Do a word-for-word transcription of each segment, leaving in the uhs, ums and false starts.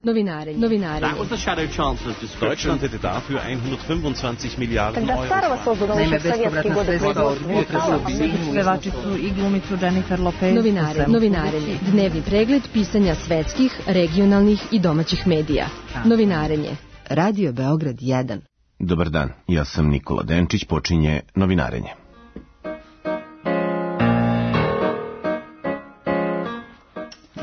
Novinare, novinare. That was the Shadow Chancellor's description. Deutschland hätte dafür hundertfünfundzwanzig Milliarden Euro. Naime, bespovratna sredstva od pevačicu i glumicu Jennifer Lopez. Novinare, novinarenje. Dnevni pregled pisanja svetskih, regionalnih i domaćih medija. Novinarenje. Radio Beograd jedan. Dobar dan, ja sam Nikola Denčić, počinje Novinarenje.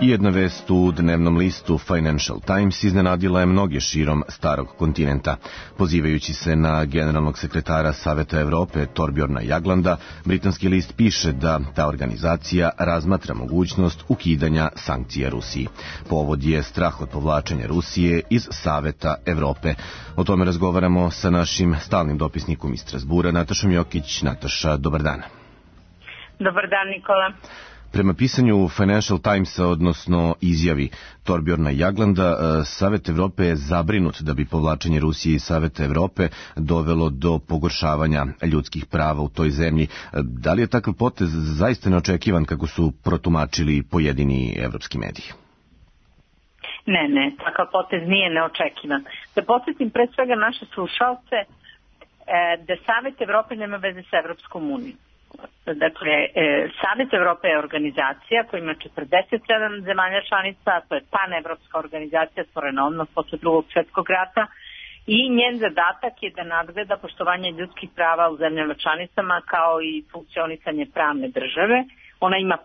Jedna vest u dnevnom listu Financial Times iznenadila je mnoge širom starog kontinenta. Pozivajući se na generalnog sekretara Saveta Evrope Torbjorna Jaglanda, britanski list piše da ta organizacija razmatra mogućnost ukidanja sankcija Rusiji. Povod je strah od povlačenja Rusije iz Saveta Evrope. O tome razgovaramo sa našim stalnim dopisnikom iz Strasbura, Natašom Jokić. Nataša, dobar dan. Dobar dan, Nikola. Prema pisanju Financial Timesa, odnosno izjavi Torbjorna Jaglanda, Savet Evrope je zabrinut da bi povlačenje Rusije iz Saveta Evrope dovelo do pogoršavanja ljudskih prava u toj zemlji. Da li je takav potez zaista neočekivan kako su protumačili pojedini evropski mediji? Ne, ne, takav potez nije neočekivan. Da podsjetim pre svega naše slušalce da Savet Evrope nema veze sa Evropskom unijom. Dakle, Savet Evrope je organizacija koja ima četrdeset sedam zemalja članica, to je panevropska organizacija stvorena odmah posle Drugog svjetskog rata i njen zadatak je da nadgleda poštovanje ljudskih prava u zemljama članicama kao i funkcionisanje pravne države. Ona ima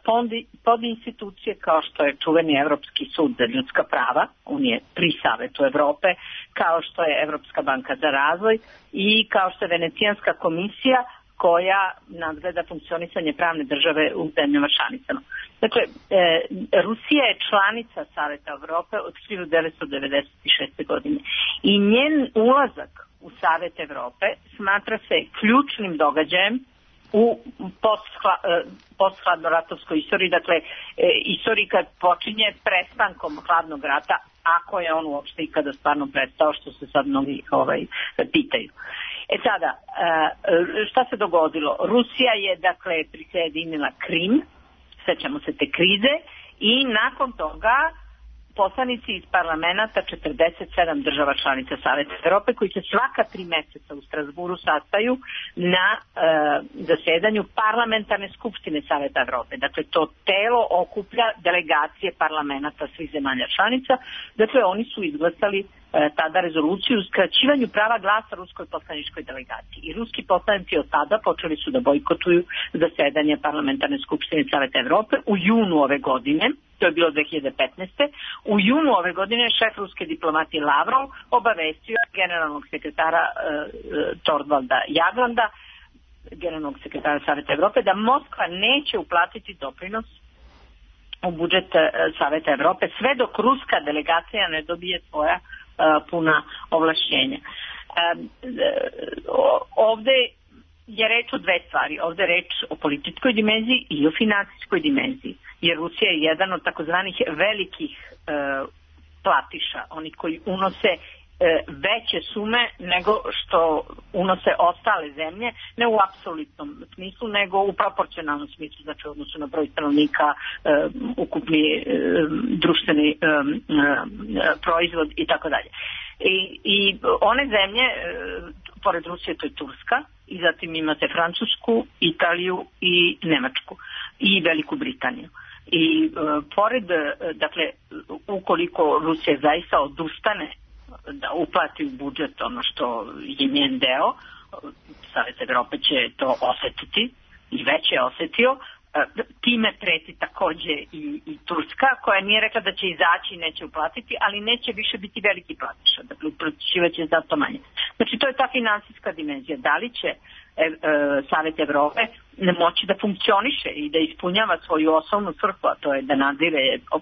podinstitucije kao što je čuveni Evropski sud za ljudska prava, on je pri Savetu Evrope, kao što je Evropska banka za razvoj i kao što je Venecijanska komisija koja nadgleda funkcionisanje pravne države u zemljama članicama. Dakle, e, Rusija je članica Saveta Evrope od hiljadu devetsto devedeset šeste. godine i njen ulazak u Savet Evrope smatra se ključnim događajem u posthladnoratovskoj istoriji, dakle, e, istoriji kad počinje prestankom hladnog rata, ako je on uopšte ikada stvarno prestao, što se sad mnogi ovaj, pitaju. E sada, šta se dogodilo? Rusija je, dakle, prisjedinila Krim, sećamo se te krize, i nakon toga poslanici iz parlamenta četrdeset sedam država članica Saveta Evrope, koji se svaka tri meseca u Strasburu sastaju na e, zasedanju parlamentarne skupštine Saveta Evrope. Dakle, to telo okuplja delegacije parlamenta svih zemalja članica. Dakle, oni su izglasali e, tada rezoluciju o skraćivanju prava glasa ruskoj poslaničkoj delegaciji. I ruski poslanici od tada počeli su da bojkotuju zasedanje parlamentarne skupštine Saveta Evrope u junu ove godine. To je bilo dve hiljade petnaeste. U junu ove godine šef ruske diplomatije Lavrov obavestio generalnog sekretara e, Torvalda Jaglanda, generalnog sekretara Saveta Evrope, da Moskva neće uplatiti doprinos u budžet e, Saveta Evrope sve dok ruska delegacija ne dobije svoja e, puna ovlašćenja. E, ovde je reč o dve stvari. Ovde je reč o političkoj dimenziji i o finansijskoj dimenziji. Jer Rusija je jedan od takozvanih velikih e, platiša, oni koji unose e, veće sume nego što unose ostale zemlje, ne u apsolutnom smislu, nego u proporcionalnom smislu, znači u odnosu na broj stanovnika, e, ukupni e, društveni e, e, proizvod i tako dalje. I, i one zemlje, e, pored Rusije, to je Turska, i zatim imate Francusku, Italiju i Nemačku i Veliku Britaniju. I e, pored, dakle, ukoliko Rusija zaista odustane da uplati u budžet ono što je njen deo, Savet Evrope će to osetiti i već je osetio, time preti takođe i, i Turska, koja nije rekla da će izaći i neće uplatiti, ali neće više biti veliki platiša, dakle uplaćivaće zato manje. Znači to je ta finansijska dimenzija. Da li će e, e, Savet Evrope ne moći da funkcioniše i da ispunjava svoju osnovnu svrhu, a to je da nadzire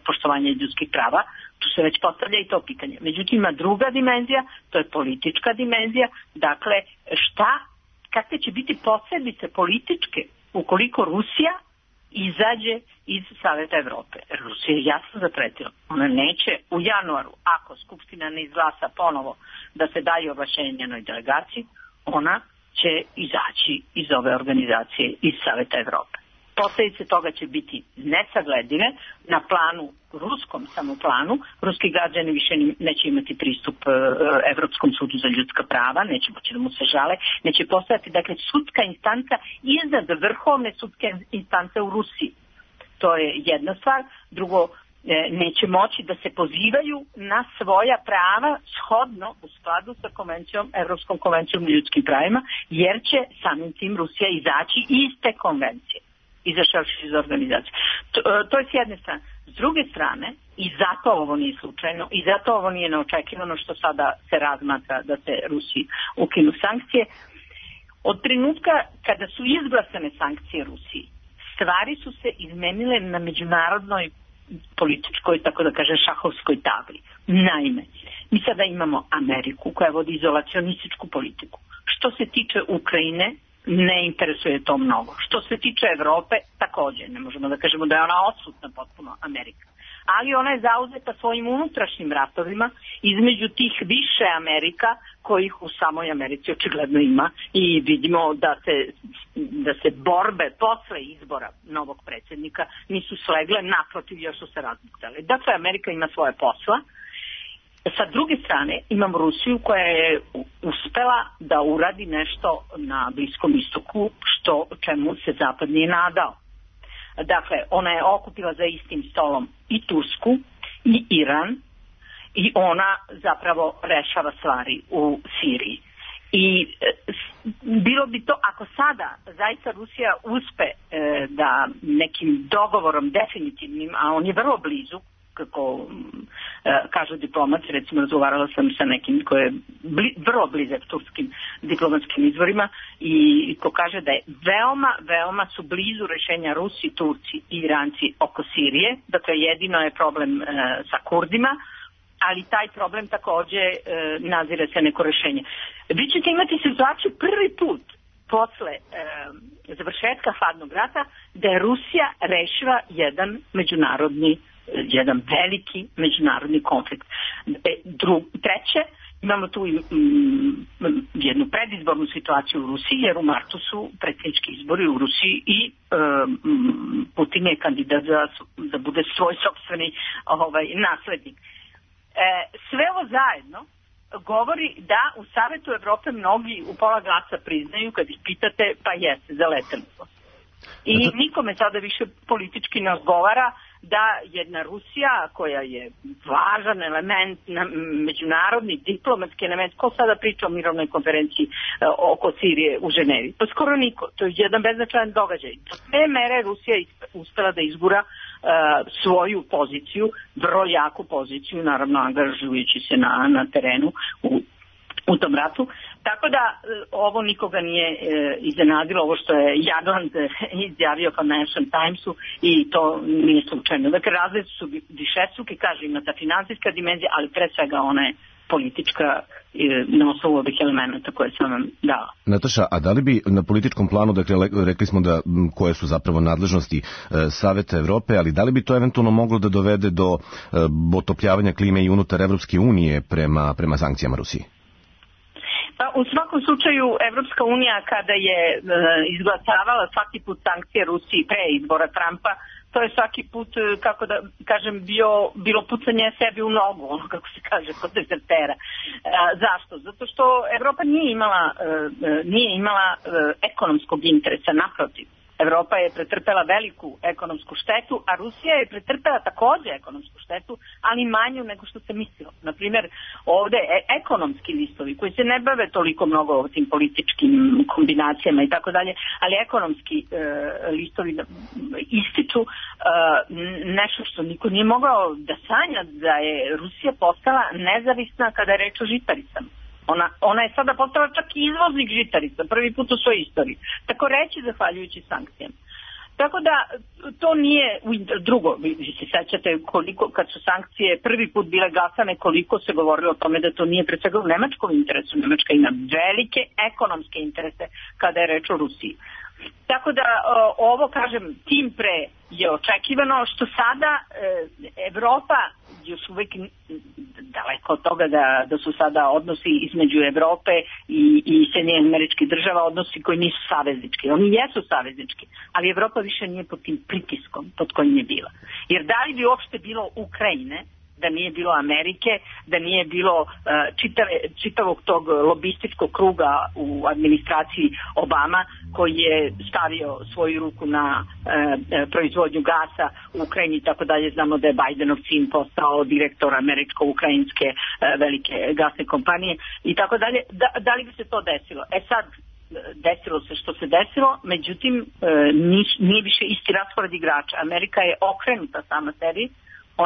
poštovanje ljudskih prava, tu se već postavlja i to pitanje. Međutim, ima druga dimenzija, to je politička dimenzija, dakle šta, kakve će biti posledice političke ukoliko Rusija izađe iz Saveta Evrope. Rusija je jasno zapretila. Ona neće u januaru, ako Skupština ne izglasa ponovo da se daje ovlašćenje njenoj delegaciji, ona će izaći iz ove organizacije, iz Saveta Evrope. posledice toga će biti nesagledive na planu, ruskom samoplanu. Ruski građani više neće imati pristup uh, Evropskom sudu za ljudska prava, neće moći da mu se žale, neće postojati, dakle, sudska instanca iznad vrhovne sudske instance u Rusiji. To je jedna stvar. Drugo, neće moći da se pozivaju na svoja prava shodno u skladu sa konvencijom, Evropskom konvencijom o ljudskim pravima, jer će samim tim Rusija izaći iz te konvencije, izašavši iz organizacije. To, to je s jedne strane. S druge strane, i zato ovo nije slučajno, i zato ovo nije neočekivano što sada se razmatra da se Rusiji ukinu sankcije, od trenutka kada su izglasane sankcije Rusiji, stvari su se izmenile na međunarodnoj političkoj, tako da kažem, šahovskoj tabli. Naime, mi sada imamo Ameriku koja vodi izolacionističku politiku. Što se tiče Ukrajine, ne interesuje to mnogo. Što se tiče Evrope, također, ne možemo da kažemo da je ona odsutna potpuno Amerika. Ali ona je zauzeta svojim unutrašnjim ratovima između tih više Amerika kojih u samoj Americi očigledno ima i vidimo da se, da se borbe posle izbora novog predsjednika nisu slegle, naprotiv još su se razbuktale. Dakle, Amerika ima svoje posla. Sa druge strane imam Rusiju koja je uspela da uradi nešto na Bliskom istoku što čemu se Zapad nije nadao. Dakle, ona je okupila za istim stolom i Tursku i Iran i ona zapravo rešava stvari u Siriji. I e, bilo bi to, ako sada zaista Rusija uspe e, da nekim dogovorom definitivnim, a on je vrlo blizu, kako e, kažu diplomaci, recimo razgovarala sam sa nekim koji je bli, vrlo blizak turskim diplomatskim izvorima i ko kaže da je veoma, veoma su blizu rešenja Rusi, Turci i Iranci oko Sirije, dakle jedino je problem e, sa Kurdima, ali taj problem također e, nazire se neko rešenje. Vi ćete imati situaciju prvi put posle e, završetka hladnog rata da je Rusija rešila jedan međunarodni jedan veliki međunarodni konflikt. E, dru, treće, imamo tu mm, jednu predizbornu situaciju u Rusiji, jer u martu su predsjednički izbori u Rusiji i um, Putin je kandidat za, da bude svoj sopstveni ovaj, naslednik. E, sve ovo zajedno govori da u Savetu Evrope mnogi u pola glasa priznaju, kad ih pitate, pa jeste, zaleteli smo. I nikome sada više politički ne odgovara da jedna Rusija koja je važan element, međunarodni diplomatski element, ko sada priča o mirovnoj konferenciji oko Sirije u Ženevi? Pa skoro niko, to je jedan beznačajan događaj. Do te mere Rusija je uspela da izgura uh, svoju poziciju, vrlo jaku poziciju, naravno angažujući se na, na terenu u u tom ratu. Tako da ovo nikoga nije e, iznenadilo, ovo što je Jagland izjavio Financial Timesu i to nije slučajno. Dakle, razlici su višestruki, kaže, ima ta finansijska dimenzija, ali pre svega ona je politička e, na osnovu ovih elementa koje sam vam dala. Nataša, a da li bi na političkom planu, dakle, rekli smo da koje su zapravo nadležnosti e, Saveta Evrope, ali da li bi to eventualno moglo da dovede do e, otopljavanja klime i unutar Evropske unije prema, prema sankcijama Rusiji? Pa u svakom slučaju Evropska unija kada je e, izglasavala svaki put sankcije Rusiji pre izbora Trumpa, to je svaki put, kako da kažem, bio, bilo pucanje sebi u nogu, ono kako se kaže kod dezertera. E, zašto? Zato što Evropa nije imala, e, nije imala e, ekonomskog interesa, naprotiv. Evropa je pretrpela veliku ekonomsku štetu, a Rusija je pretrpela također ekonomsku štetu, ali manju nego što se mislilo. Naprimjer, ovdje ekonomski listovi koji se ne bave toliko mnogo o tim političkim kombinacijama i tako dalje, ali ekonomski e, listovi ističu e, nešto što niko nije mogao da sanja, da je Rusija postala nezavisna kada je reč o žitaricama. Ona, ona je sada postala čak i izvoznik žitarica, prvi put u svojoj istoriji. Tako reći zahvaljujući sankcijama. Tako da to nije drugo, vi se sećate koliko kad su sankcije prvi put bile glasane, koliko se govorilo o tome da to nije pre svega u nemačkom interesu. Nemačka ima velike ekonomske interese kada je reč o Rusiji. Tako da ovo, kažem, tim pre je očekivano, što sada Evropa još uvek daleko od toga da, da su sada odnosi između Evrope i, i Sjedinjenih Američkih Država odnosi koji nisu saveznički. Oni jesu saveznički, ali Evropa više nije pod tim pritiskom pod kojim je bila. Jer da li bi uopšte bilo Ukrajine, da nije bilo Amerike, da nije bilo uh, čitave, čitavog tog lobističkog kruga u administraciji Obama koji je stavio svoju ruku na uh, proizvodnju gasa u Ukrajini i tako dalje. Znamo da je Bajdenov sin postao direktor američko-ukrajinske uh, velike gasne kompanije i tako dalje. Da, da li bi se to desilo? E sad, desilo se što se desilo, međutim uh, nije više isti raspored igrača. Amerika je okrenuta sama sebi,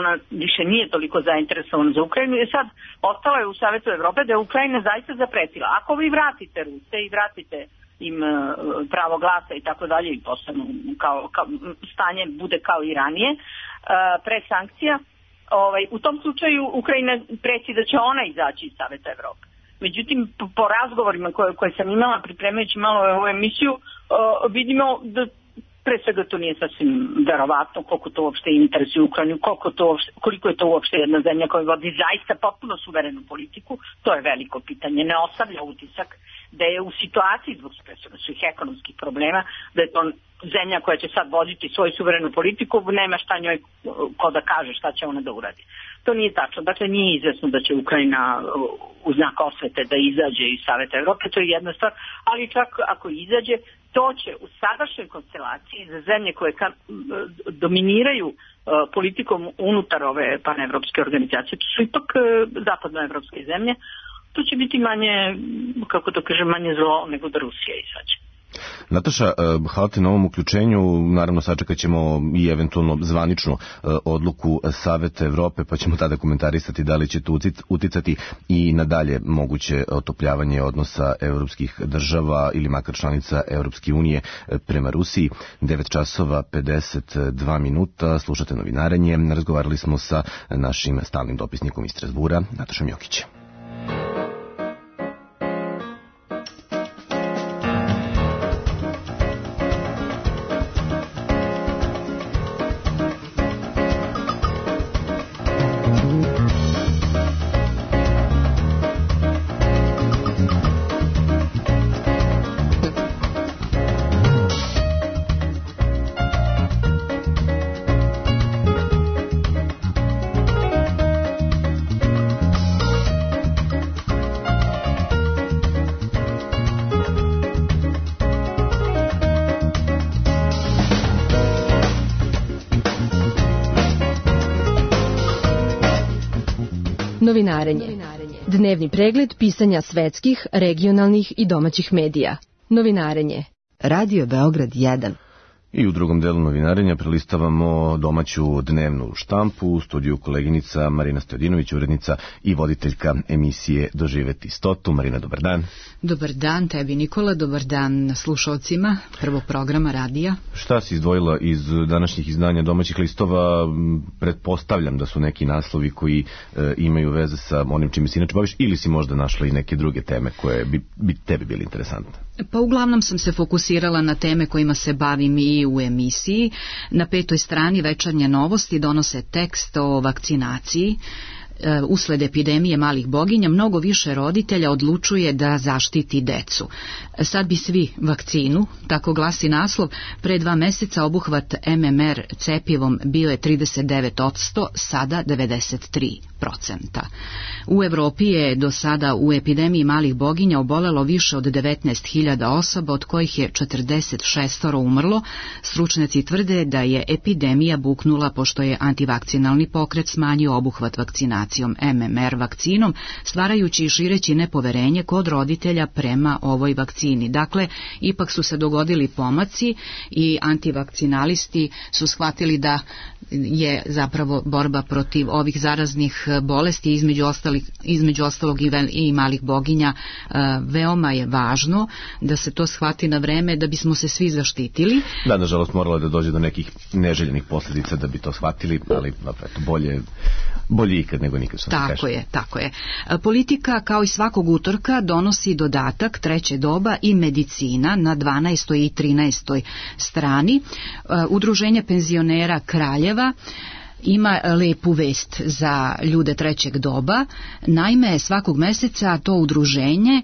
ona više nije toliko zainteresovana za Ukrajinu i sad ostalo je u Savetu Evrope da je Ukrajina zaista zapretila. Ako vi vratite Ruse i vratite im pravo glasa i tako dalje i postanu kao, kao stanje bude kao i ranije pre sankcija, ovaj, u tom slučaju Ukrajina preci da će ona izaći iz Saveta Evrope. Međutim, po, po razgovorima koje, koje sam imala pripremajući malo ovu emisiju, vidimo da pre svega to nije sasvim verovatno koliko to uopšte interesuje Ukrajinu, koliko, to uopšte, koliko je to uopšte jedna zemlja koja vodi zaista potpuno suverenu politiku, to je veliko pitanje. Ne ostavlja utisak da je u situaciji zbog svih ekonomskih problema, da je to zemlja koja će sad voditi svoju suverenu politiku, nema šta njoj ko da kaže šta će ona da uradi. To nije tačno. Dakle, nije izvesno da će Ukrajina u znak osvete da izađe iz Saveta Evrope, to je jedna stvar, ali čak ako izađe, to će u sadašnjoj konstelaciji za zemlje koje ka, dominiraju uh, politikom unutar ove panevropske organizacije, to su ipak uh, zapadnoevropske zemlje, to će biti manje, kako to kažem, manje zlo nego da Rusija izađe. Nataša, hvala ti na ovom uključenju, naravno sačekat ćemo i eventualno zvaničnu odluku Saveta Evrope, pa ćemo tada komentarisati da li će to uticati i nadalje moguće otopljavanje odnosa evropskih država ili makar članica Evropske unije prema Rusiji. devet časova pedeset dva minuta, slušate novinarenje, razgovarali smo sa našim stalnim dopisnikom iz Strasbura, Natašom Jokićem. Novinarenje. Dnevni pregled pisanja svetskih, regionalnih i domaćih medija. Novinarenje. Radio Beograd jedan. I u drugom delu novinarenja prelistavamo domaću dnevnu štampu, u studiju koleginica Marina Stojadinović, urednica i voditeljka emisije Doživeti stotu. Marina, dobar dan. Dobar dan tebi, Nikola, dobar dan slušalcima prvog programa radija. Šta si izdvojila iz današnjih izdanja domaćih listova? Pretpostavljam da su neki naslovi koji e, imaju veze sa onim čime si inače baviš, ili si možda našla i neke druge teme koje bi, bi tebi bili interesantne? Pa uglavnom sam se fokusirala na teme kojima se bavim i u emisiji. Na petoj strani Večernje novosti donose tekst o vakcinaciji. Usled epidemije malih boginja mnogo više roditelja odlučuje da zaštiti decu. Sad bi svi vakcinu, tako glasi naslov. Pre dva meseca obuhvat M M R cepivom bio je trideset devet posto, sada devedeset tri posto. U Evropi je do sada u epidemiji malih boginja obolelo više od devetnaest hiljada osoba, od kojih je četrdeset šest umrlo. Stručnjaci tvrde da je epidemija buknula pošto je antivakcinalni pokret smanjio obuhvat vakcinacijom M M R vakcinom, stvarajući i šireći nepoverenje kod roditelja prema ovoj vakcini. Dakle, ipak su se dogodili pomaci i antivakcinalisti su shvatili da je zapravo borba protiv ovih zaraznih bolesti, između, ostalih, između ostalog i, vel, i malih boginja, veoma je važno da se to shvati na vreme, da bismo se svi zaštitili. Da, nažalost moralo da dođe do nekih neželjenih posljedica da bi to shvatili, ali eto, bolje, bolje ikad nego nikad. Tako je, tako je. Politika kao i svakog utorka donosi dodatak Treće doba i medicina na dvanaestoj i trinaestoj strani. Udruženje penzionera Kraljeva ima lepu vest za ljude trećeg doba. Naime, svakog meseca to udruženje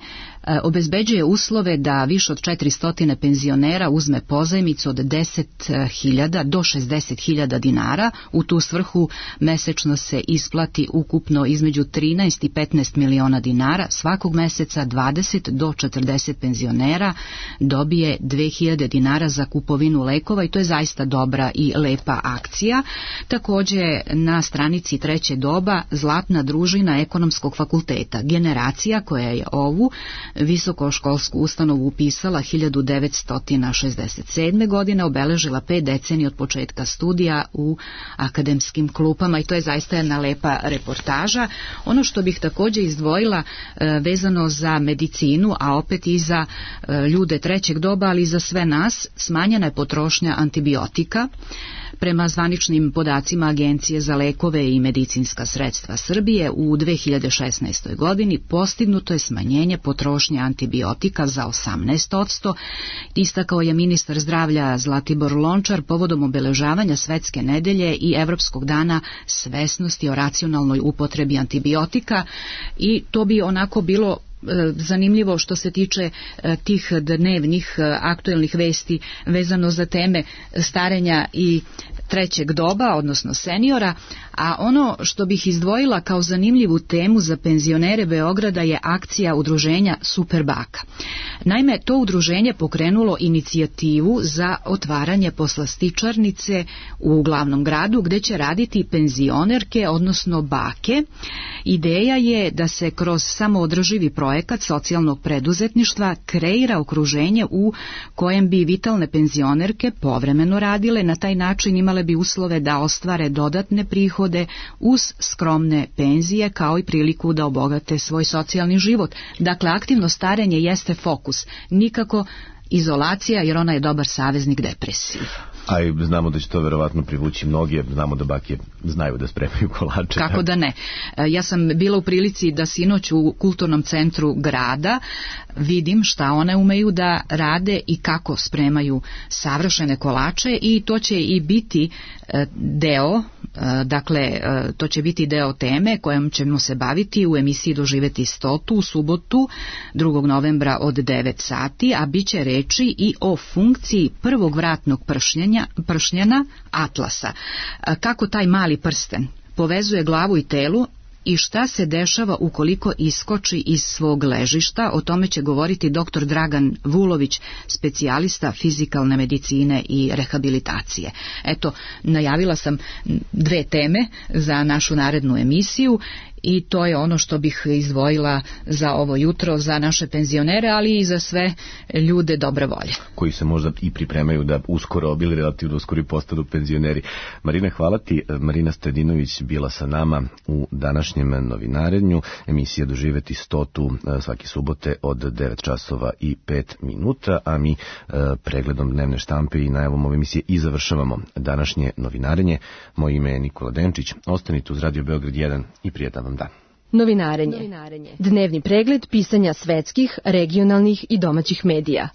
obezbeđuje uslove da više od četiristo penzionera uzme pozajmicu od deset hiljada do šezdeset hiljada dinara. U tu svrhu mesečno se isplati ukupno između trinaest i petnaest miliona dinara. Svakog meseca dvadeset do četrdeset penzionera dobije dve hiljade dinara za kupovinu lekova i to je zaista dobra i lepa akcija. Također na stranici Treće doba Zlatna družina Ekonomskog fakulteta, generacija koja je ovu visokoškolsku ustanovu upisala hiljadu devetsto šezdeset sedme. godine, obeležila pet decenija od početka studija u akademskim klupama i to je zaista jedna lepa reportaža. Ono što bih također izdvojila vezano za medicinu, a opet i za ljude trećeg doba, ali i za sve nas, smanjena je potrošnja antibiotika. Prema zvaničnim podacima Agencije za lekove i medicinska sredstva Srbije u dve hiljade šesnaestoj. godini postignuto je smanjenje potrošnje antibiotika za osamnaest posto, istakao je ministar zdravlja Zlatibor Lončar povodom obeležavanja Svetske nedelje i Evropskog dana svesnosti o racionalnoj upotrebi antibiotika i to bi onako bilo zanimljivo što se tiče tih dnevnih aktuelnih vesti vezano za teme starenja i trećeg doba, odnosno seniora, a ono što bih izdvojila kao zanimljivu temu za penzionere Beograda je akcija udruženja Superbaka. Naime, to udruženje pokrenulo inicijativu za otvaranje poslastičarnice u glavnom gradu gdje će raditi penzionerke, odnosno bake. Ideja je da se kroz samoodrživi projekat socijalnog preduzetništva kreira okruženje u kojem bi vitalne penzionerke povremeno radile, na taj način imale bi uslove da ostvare dodatne prihode uz skromne penzije kao i priliku da obogate svoj socijalni život. Dakle, aktivno starenje jeste fokus, nikako izolacija jer ona je dobar saveznik depresiji. A i znamo da će to verovatno privući mnoge, znamo da bake znaju da spremaju kolače. Kako da ne. Ja sam bila u prilici da sinoć u kulturnom centru grada vidim šta one umeju da rade i kako spremaju savršene kolače i to će i biti deo, dakle to će biti deo teme kojom ćemo se baviti u emisiji Doživeti stotu u subotu drugog novembra od devet sati, a bit će reči i o funkciji prvog vratnog pršnjenja pršnjena Atlasa. Kako taj mali prsten povezuje glavu i telu i šta se dešava ukoliko iskoči iz svog ležišta, o tome će govoriti doktor Dragan Vulović, specijalista fizikalne medicine i rehabilitacije. Eto, najavila sam dve teme za našu narednu emisiju i to je ono što bih izdvojila za ovo jutro, za naše penzionere, ali i za sve ljude dobre volje. Koji se možda i pripremaju da uskoro, bili relativno uskoro i postanu penzioneri. Marina, hvala ti. Marina Stojadinović bila sa nama u današnjem novinarenju. Emisija Doživeti stotu svake subote od devet časova i pet minuta, a mi pregledom dnevne štampe i najavom ove emisije i završavamo današnje novinarenje. Moje ime je Nikola Denčić. Ostanite uz Radio Beograd jedan i prijetan vam dan. Novinarenje. Dnevni pregled pisanja svetskih, regionalnih i domaćih medija.